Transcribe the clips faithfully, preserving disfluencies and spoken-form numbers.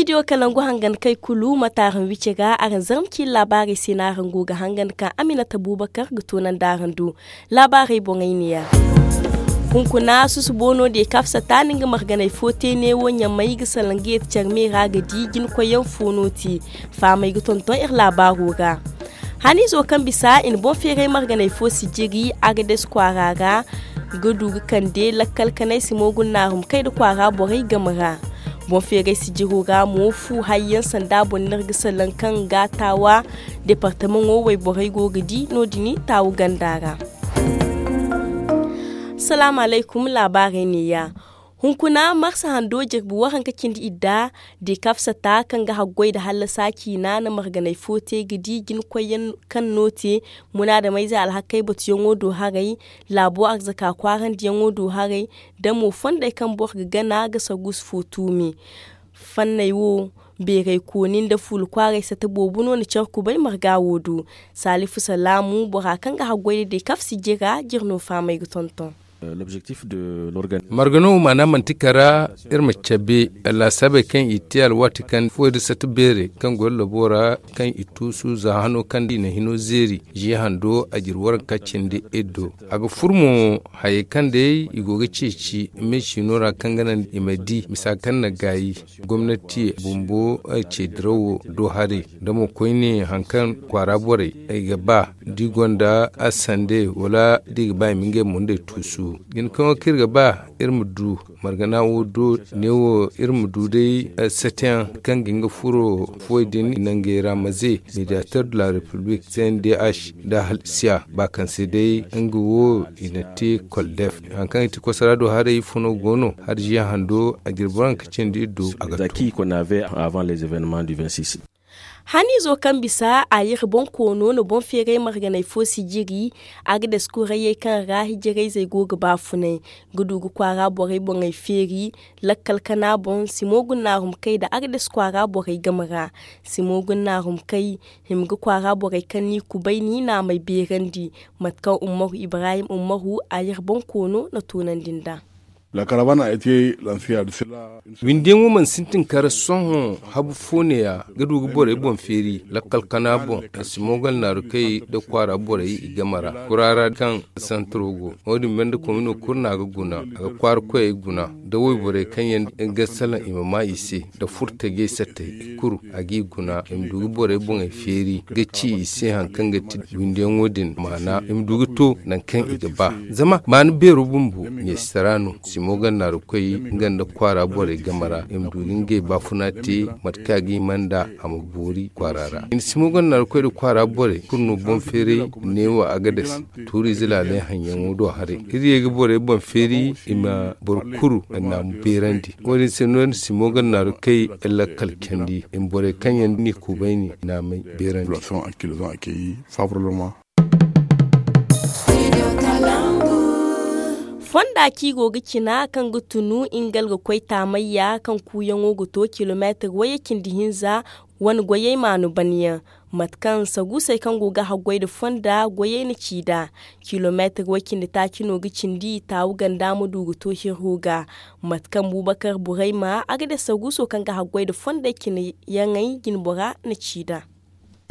Studio kalangu hangan kay kulu mate araŋ wici ga araŋ zarma ciine laabaarey se no araŋ go ga hangan ka aminata buubakar ga toonandi araŋ do. Laabaarey boŋey neeya. Hunkuna susubo no de kafsata na nga marganey fo te neewo ɲamay ga salaŋ ga yeeti care me ra ga di jina koyyaŋ fo no te. Faamey ga tonton iri laabaaro ra. Haniizo kaŋ bisa i na boŋ feeray marganey fo sijiri agades kwaara ra ga du ga kande lakkal kanay simo guna naarumkay nda kwaara borey game ra. Boŋ feeray sijiro ra mo fu hayyaŋ sanda boŋ no iri ga salaŋ kaŋ ga taawa departamaŋo wayborey go ga di no- din taawu ganda ra. Salaamu alaykum laabaarey neeya. Hunkuna marsa hando jirbi waranka cindi idda de kafsata kaŋ ga haggoy nda hallasa ciina na marganey fo te ga di jina koyyaŋ kaŋ no te munaadameyze alhakey batuyaŋo do haray, laabo arzaka kwaarandiyaŋo do haray, nda mo fondey kaŋ boro ga gana ga saguusu fo tuumi. Fanney wo beeray kooni nda fuula kwaaray sata boobo no na care kubay marga wo do. Saalifu salaamu bora kaŋ ga haggoy nda de kafsi jira jira no faamay ga tonton. Margano maana manti kara iri ma cabe laasaabey kaŋ i te alwaati kaŋ fuwey da sata beerey kaŋ go labo ra kaŋ i tuusu za hano kaŋ i na hino zeeri. Ziya hando a jiri waranka cindi iddo a ga fur mo. Hayey kaŋ day i go ga ceeci me ciino ra kaŋ ga naŋ i ma di misa kaŋ na gaayi gomnati bumbo ce dirawo do haray da mo koyne haŋ kaŋ kwaara borey i ga ba da i gonda a sande wala da i ga ba i ma ngey mo nd'ey tuusu. Jina kaŋ wo kaŋ iri ga ba iri ma du margana wo do neewo iri ma du day sateyaŋ kaŋ ga nga furo fuwey din nangey ra maze mediateur de la république cndh da halsiya ba kaŋ se day nga wo i na te koldef haŋ kaŋ i ti kosara do haray ifo no go no har ziya hando a jirbi waranka cindi iddo a ga to. Haniizo kaŋ bisa a yira boŋ koono na boŋ feeray marganey fo sijiri a ga daskurayyey kaŋ ra hijirayzey go ga baafunay ga du ga kwaara borey boŋey feeri lakkal kana boŋ simo guna naarumkay nda a ga daskwaara borey game ra. Simo guna naarumkay hima ga kwaara borey kaŋ n'i kubay n'i naamey beerandi mate kaŋ ummaru ibrahim ummaru a yira boŋ koono na toonandi nd'a. Windiyaŋo mana sintin kara sohõ habu fo neeya ga du ga borey boŋ feeri lakkal kana boŋ. Simogal naaru kay nda kwaara borey i game ra kuraara kaŋ santaro go. Wo- din banda komino kulu no a ga guna a ga kwaara koyey guna nda wayborey kaŋ yaŋ ga salaŋ i ma maa i se nda furtajey sattey i kulu a g'i guna i ma du ga borey boŋey feeri ga ci i se haŋ kaŋ ga ti windiyaŋo din maana i ma du ga to nangu kaŋ i ga ba. Zama maana beero bumbo ɲeesitara no simo ganda naarukoy nga nda kwaara borey game ra i ma du ga ngey baafuna te mate kaŋ a ga hima nd'a a ma boori kwaara ra. Simo ganda naarukoy nda kwaara borey kulu no boŋ feeray neewo a ga dase tuuriize laaley haŋyaŋo do haray iri ye ga borey boŋ feeri i ma boro kulu naamu beerandi. Wo- din se no iri na simo ganda naarukoy lakkal candi i ma borey kaŋ yaŋ n'i kuubayni naamey beerandi. Fonda kaŋ i go ga cina kaŋ ga tunu nga ga koy taamayya kaŋ kuuyaŋo ga to kilomeetir wayye cindi hinza wane goyey maanu banyaŋ. Mate kaŋ saguusey kaŋ go ga haggoy nda fonda goyey na ci nd'a kilomeetir way cindi taaci no ga cindi taawu ganda ma du ga to hirro ga. Mate kaŋ bubakar burayma a ga de saguuso kaŋ ga haggoy nda fondey cinayaŋey jinbora na ci nd'a.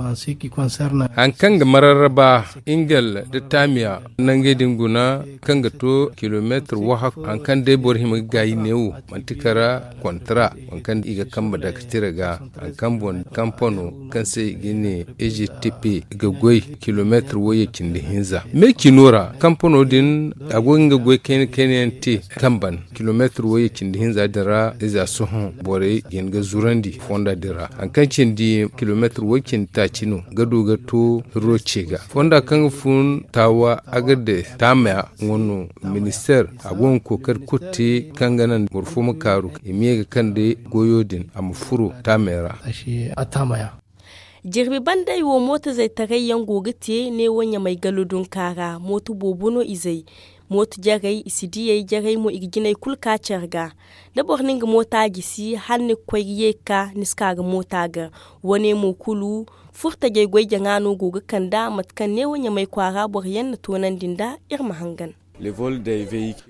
Haŋ kaŋ ga mararraba ingal nda taamiya nangey din guna kaŋ ga to kilomeetir wahakku haŋ kaŋ day boro hima ga gaayi neewo manti kara kontara waŋ kaŋ i ga kambe dake tira ga haŋ kaŋ boŋ kampano kaŋ se i ga ne egypte pe ga goy kilomeetir wayye cindi hinza me cino ra kampano din a go ga nga goy kayna kayna yaŋ te kamban kilomeetir wayye cindi hinza din ra iza sohõ borey ga hin ga zurandi fonda din ra haŋ kaŋ cindi kilomeetir way cindi taaci no ga du ga to roce ga fonda kaŋ ga fun taawa a ga de taamaya nga no ministeer a go ga kookari kulu te kaŋ ga naŋ boro fo ma kaaru i ma ye ga kande goyo din a ma furo taamey ra. Jirbi bandey wo mooto zaytaray yaŋ go ga te neewo ɲamay galo dunka ra mooto boobo no izey. Mooto jarey i si diyey jarey mo i ga jinay kulu ka care ga da boro na nga moota gisi hala ni ga koy ga ye ga ka ni si ka ga moota ga. Wane mo kulu furtajey goy jaŋa no go ga kand'a mate kaŋ neewo ɲamay kwaara boro yaŋ na toonandi nd'a. Iri ma hangan.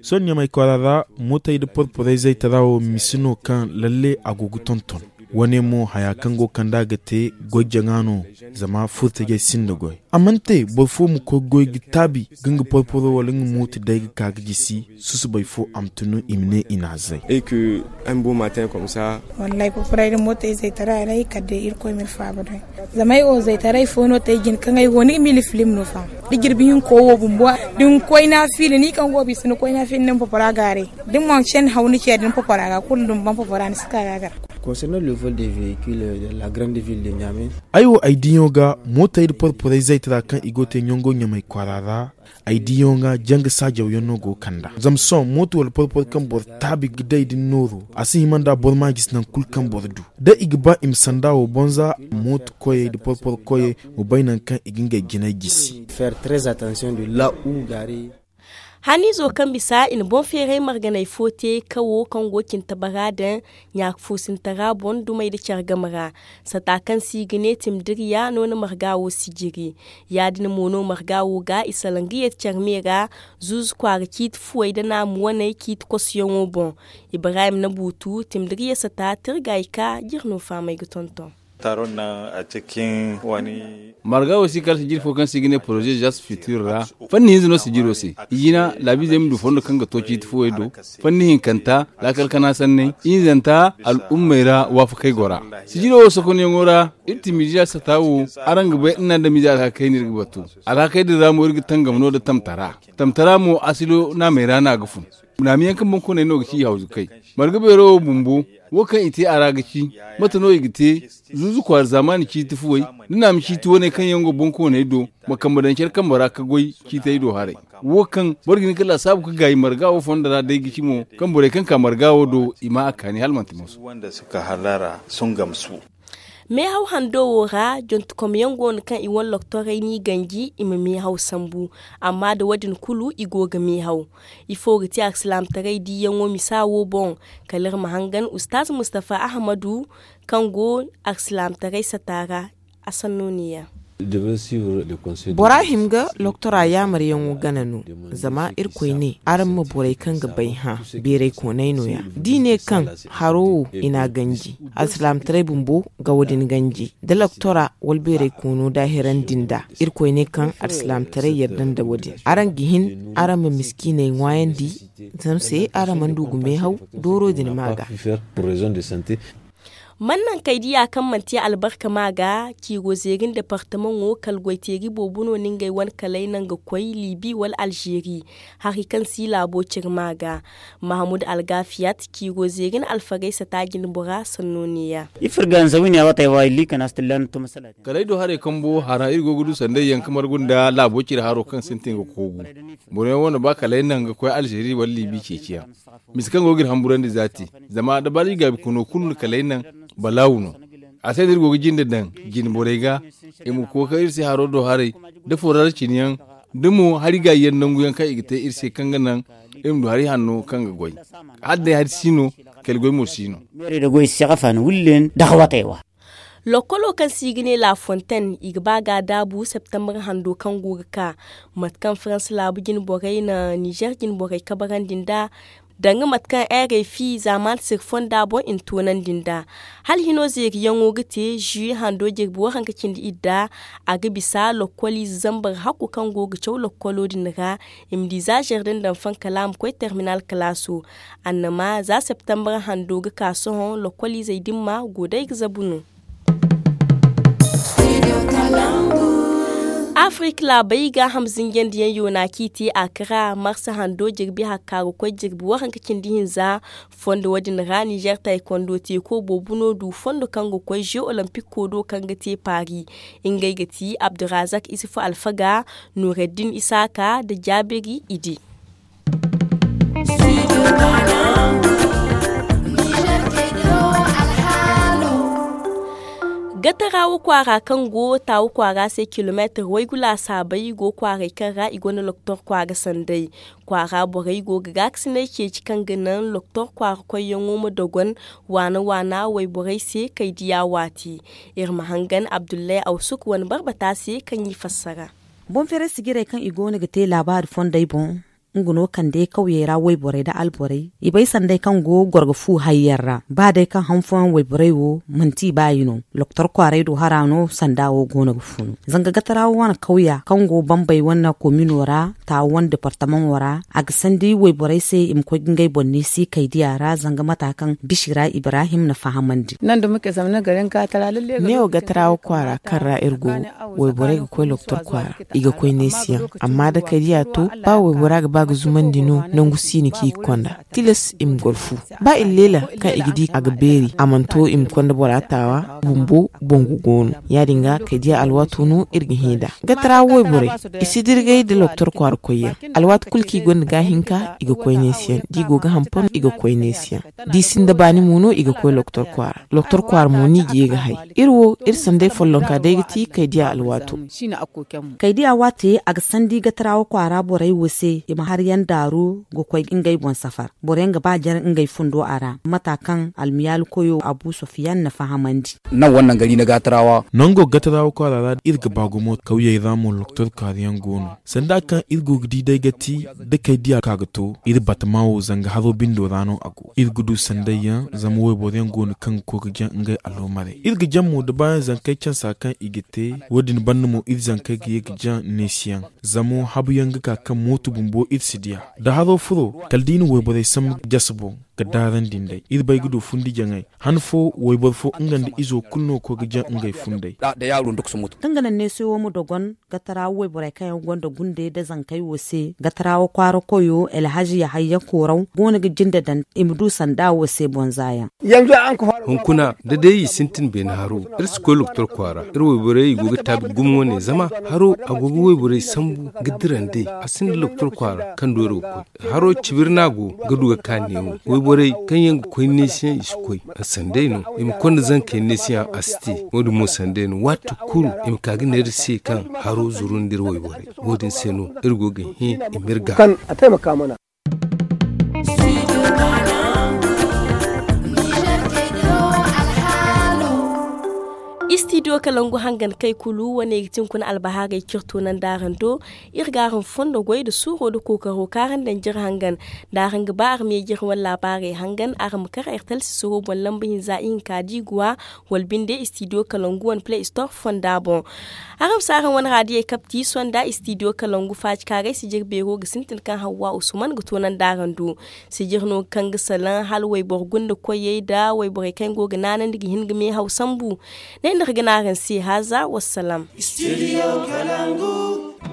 Sohõ ɲamay kwaara ra mootey nda porporey zaytara wo misi no kaŋ lalle a go ga tonton. Wane mo haya kaŋ go kand'a ga te goy jaŋa no. Zama furtajey sinda goy a mana te boro fo ma koy goy ga taabi ga nga porporo wala nga mooto day ga ka ga jisi. Susubay fo a ma tunu i ma ne i n'a zay. Wallaahi porporay da mooto ay zaytaray ra ay kala day irkoy ma iri faaba day. Zama ay wo zaytaray fo no te ay jin kaŋ ay wo ni ga miila filim no fa. Da jirbi hinko wo bumbo da ni koy naafila ni kaŋ go bisa ni koy naafila ni ma porpora gaaray. Da ni mana senda haw ni ce da ni porpora ga kulu da ni ban porpora ni si ka ga a gar. Concernant le vol des véhicules dans la grande ville de Niamey. Ay wo ay diyaŋo ga mootey nda porporey zaytara kaŋ i go ga te ɲango ɲamay kwaara ra. Ay diyaŋo ga janga saajaw yaŋ no go ga kand'a zama sohõ mooto wala porporo kaŋ boro taabi ga day da ni nooro a si hima nd'a boro ma jisi nangu kulu kaŋ boro du. Da i ga ba i ma sanda wo bonza mooto koyey nda porporo koyey ma bay nangu kaŋ i ga ngey jinay jisi. Haniizo kaŋ bisa i na boŋ feeray marganey fo te kawo kaŋ go cinta bara daŋ ɲaaka foosintara boŋ dumey nda care game ra. Sata kaŋ se i ga ne timdiriya no na marga wo sijiri. Ya- din mo no marga wo ga i salaŋ ga yeeti care me ra. Zuuzu kwaara ciiti fuwey nda naamu waney ciiti kosuyaŋo boŋ. Ibrahim na buutu timdiriya sata tirga i ka jire no fahamey ga tonton. Marga wo si kala sijiri fo kaŋ se i ga ne poroze jas fitir ra. Fanni hinza no sijiro se. Ijina laabiizey ma du fondo kaŋ ga to ciiti fuwey do. Fanni hinkanta laakal kana sanney. Hinzanta al'ummey ra waafakey gora. Sijiro wo sokonyaŋo ra iri timidija sata wo. Araŋ ga bay iri na ndamiize alhakey no iri ga batu. Alhakey din ra mo iri ga tangam no nda tamtara. Tamtara mo asilo naamey ra no a ga fun. Naamiyaŋ kaŋ boŋkooney no ga ci i hawzukey. Marga beero wo bumbo wo kaŋ i te a ra ga ci. Mate no i ga te? Zuuzu kwaara zaamaani ciiti fuwey da naami ciiti waney kaŋ yaŋ go boŋkooney do ma kambe daŋ care kambe ra ga goy ciitey do haray. Wo kaŋ boro ga hin ga laasaabu ga gaayi marga wo fondo ra day ga ci mo kaŋ borey kaŋ ka marga wo do i ma a kaani hala manti mooso. Meehaw hando wo ra jontekomyaŋ go no kaŋ i wane loktorey n'i ganji i ma meehaw sambu. Amma nda wo- din kulu i go ga meehaw. Ifo ga ti alsilaamataray diiyaŋo misa wo boŋ? Kala iri ma hangan ustaaz mustafa ahamadu kaŋ go alsilaamataray sata ra. A sanno ne- ya. Bora hima ga loktora yaamaryaŋo gana no. Zama irkoy ne araŋ ma borey kaŋ ga bay hã beeraykoonay no- ya. Da i ne kaŋ haro wo i n'a ganji alsilaamataray bumbo ga wo- din ganji da loktora wala beeraykoono daahiran din da. Irkoy ne kaŋ alsilaamataray yadda nda wo- din araŋ ga hin araŋ ma miskiiney ŋwaayandi. Zama se araŋ mana du ga meehaw dooro din ma ga. Man naŋ kay diya kaŋ manti albarka ma ga ciiro zeerin departamaŋo kala goyteeri boobo no na ngey wane kalay naŋ ga koy libi wala alzeeri. Hari kaŋ si laabo cire ma ga mahamud algafiyat ciiro zeerin alfaraysa taajin bora sanno neeya. Ifirga nzawini a watay wa illi kana stillan tuma salati. Kalay do haray kambo hara iri go ga du sanday yaŋ ka margu nda laabo cire haro kaŋ sintin ga koogu. Boro yaŋ wane ba kalay naŋ ga koy alzeeri wala libi ceeciyaŋ. Mise kaŋ go ga iri hamburandi zaati. Zama dabari gaabi kono kulu na kalay naŋ balaawu no. A se no iri go ga jinde daŋ jine borey ga i ma kookari iri se haro do haray da forar cine yaŋ da mo hari gaayi yaŋ nangu yaŋ kaŋ i ga te iri se kaŋ ga naŋ iri ma du hari hanno kaŋ ga goy. Hala day hari si no kala goy mo si no. Lokkolo kaŋ se i ga ne la fontaine i ga ba ga a daabu septembre hando kaŋ go ga ka. Mate kaŋ farans laabu jine borey na nizer jine borey kabarandi nd'a danga mate kaŋ r f i zaamaani siri fonda boŋ i na toonandi nd'a. Hala hino zeeriyaŋo ga te zui hando jirbi waranka cindi idda. A ga bisa lokkoliize zambar hakku kaŋ go ga caw lokkolo din ra i ma di za zardin daŋ fankala a ma koy terminal kalaaso. Annama za septembre hando ga ka sohõ lokkoliizey din ma go day ga zabu no. Afirika laabey gaaham zinjandiyaŋ yoona kaŋ i te a kara marsa hando jirbi hakka ga koy jirbi waranka cindi hinza. Fondo wo- din ra nizer taykondo teeko boobo no du fondo kaŋ ga koy ze olimpiko do kaŋ ga te paari. Ngey ga ti abdurazak isufu alfaga, nureddin isaaka nda jaabiri idi. Gatarawa kwaara kaŋ go taawa kwaara se kilomeetir waygu laasaabey go kwaaray kaŋ ra i gonda loktor kwaara sanday. Kwaara borey go ga gaakasinay ceeci kaŋ ga naŋ loktor kwaara koyyaŋo ma dogon waana waana wayborey se kay diya waati. Iri ma hangan abdullahi awsuk wane barbata se kaŋ i fassara. Boŋ feeray sijirey kaŋ i go no ga te laabaari fondey boŋ. Nga no kande kawyey ra wayborey nda alborey i bay sanday kaŋ go goro ga fu hayyaŋ ra ba day kaŋ han fooyaŋ wayborey wo manti i baayi no. Loktor kwaaray do hara no sanda wo go no ga fu no zanga gatara wo wane kawya kaŋ go bambey wane komino ra taawo wane departamaŋo ra a ga sandi wayborey se i ma koy ga ngey boŋ neesi kaydiya ra zanga mata kaŋ bisi ra ibrahim na fahamandi. Neewo gatara wo kwaara kaŋ ra iri go wayborey ga koy loktor kwaara i ga koy neesiyaŋ. Amma da kaydiya to ba waybora ga ba ga zumandi no nangu si no kaŋ i ga konda tilas i ma goro fu. Ba iri leela kaŋ i ga di a ga beeri a mana to i ma konda bora taawa bumbo boŋ ga go no. Ya- din ga kaydiya alwaato no iri ga hẽ nd'a. Gatara wayborey i si dirgay nda loktor kwaara koyyaŋ. Alwaati kulu kaŋ i gonda gaahinka i ga koy neesiyaŋ da i go ga hampam i ga koy neesiyaŋ. Da i sinda baani mo no i ga koy loktor kwaara. Loktor kwaara mo no i ga ye ga hay. Iri wo iri sanday follonka day ga ti kaydiya alwaato. Kaydiya waate a ga sandi gatarawa kwaara borey wo se i ma har yaŋ daaru ga koy ngey boŋ safar. Boro yaŋ ga ba jare ngey fundo a ra mata kaŋ almiyaali koyo abu sofiyan na fahamandi. Nango gatarawa kwaara ra iri ga ba gumo kawyey ra mo loktor kwaara yaŋ go no. Sanda kaŋ iri go ga di day ga ti da kay diya ka ga to iri batama wo zanga haro bindo ra no a go iri ga du sanday yaŋ zama wayboro yaŋ go no kaŋ ga koy ga jaŋ ngey allomaray iri ga jaŋ mo da baayaŋ zankey cansa kaŋ i ga te. Wo- din banda mo iri zankey ga ye ga jaŋ neesi yaŋ. Zama habu yaŋ ga ka kaŋ mooto bumbo iri si diya da haro furo kala da i na wayborey sambu jasa boŋ ga daarandi nd'ey iri bay ga du fundi jaŋey. Han fo wayboro fo nga nda izo kulu no ga koy ga jaŋ ngey fundey. Kaŋ ga naŋ neeso wo ma dogon gatarawa wayborey kaŋ yaŋ gonda gundey nda zankey wo se gatarawa kwaara koyo alhazi yahayya kooraw go no ga jinde daŋ i ma du sanda wo se boŋ za yaŋ. Hunkuna da day i sintin beene haro iri si koy loktor kwaara iri wayborey i go ga taabi gumo wane zama haro a go ga wayborey sambu ga dira nd'ey. A sinda loktor kwaara kaŋ dooro ga koy haro cibiri no a go ga du ga ka neewo. Wayborey kaŋ yaŋ ga koy neesiyaŋ i si koy sanday no. I ma konda zankey neesiyaŋ a si te. Wo- din mo sanday no waati kulu i ma ka ga ne iri se kaŋ haro zuru nda iri wayborey. Wo- din se no iri go ga hẽ i ma iri gaaba. Istidiyo kalangu hangan kay kulu wane ga ti hunkuna albahaarey kaŋ iri to nandi araŋ do. Iri ga araŋ fondo goy nda suuro nda kookaro kaŋ araŋ daŋ jire hangan. Da araŋ ga ba araŋ ma ye jire wane laabaarey hangan araŋ ma kar iri talsi suuro boŋ lamba hinza ihinka diiguwa wala binde istidiyo kalangu wane play store fonda boŋ. Araŋ ma si araŋ wane raadiyey kapti sonda istidiyo kalangu faacikaaray sijir beero ga sintin kaŋ hawwa usman ga toonandi araŋ do. Sijir no kaŋ ga salaŋ hala wayboro gunda koyey nda wayborey kaŋ go ga naanandi ga hin ga meehaw sambu. Ne nda iri ga ne araŋ se haaza wassalam.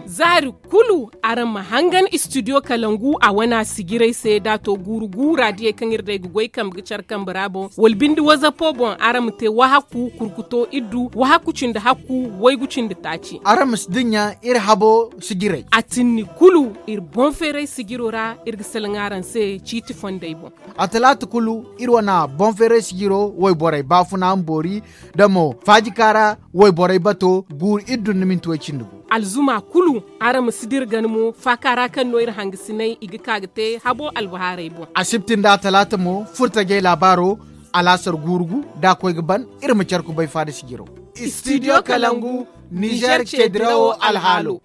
Zaari kulu araŋ ma hangan istidiyo kalangu a wana sijiray se da a to guuru guura diyey kaŋ iri day ga goy kambe ga care kambe ra boŋ wala binde wazapo boŋ araŋ ma te wahakku kurkuto iddu wahakku cindi hakku waygu cindi taaci. Araŋ ma si dinya iri habo sijiray a tinni kulu iri boŋ feeray sijiro ra. Iri ga salaŋ araŋ se ciiti fondey boŋ. A talaata kulu iri wana boŋ feeray sijiro wayborey baafuna ma boori da mo faajikaara wayborey bato guuru iddu nda minti way cindi gu. Alzuma kulu araŋ ma si dira gana mo faaka ra kaŋ no iri hangasinay i ga ka ga te habo albahaarey boŋ. Asibti nda atalaata mo furtajey laabaaro alaasar guuru gu da a koy ga ban. Iri ma care kubay faada sijiro. Istidiyo kalangu nizer cedirawo alhaalo.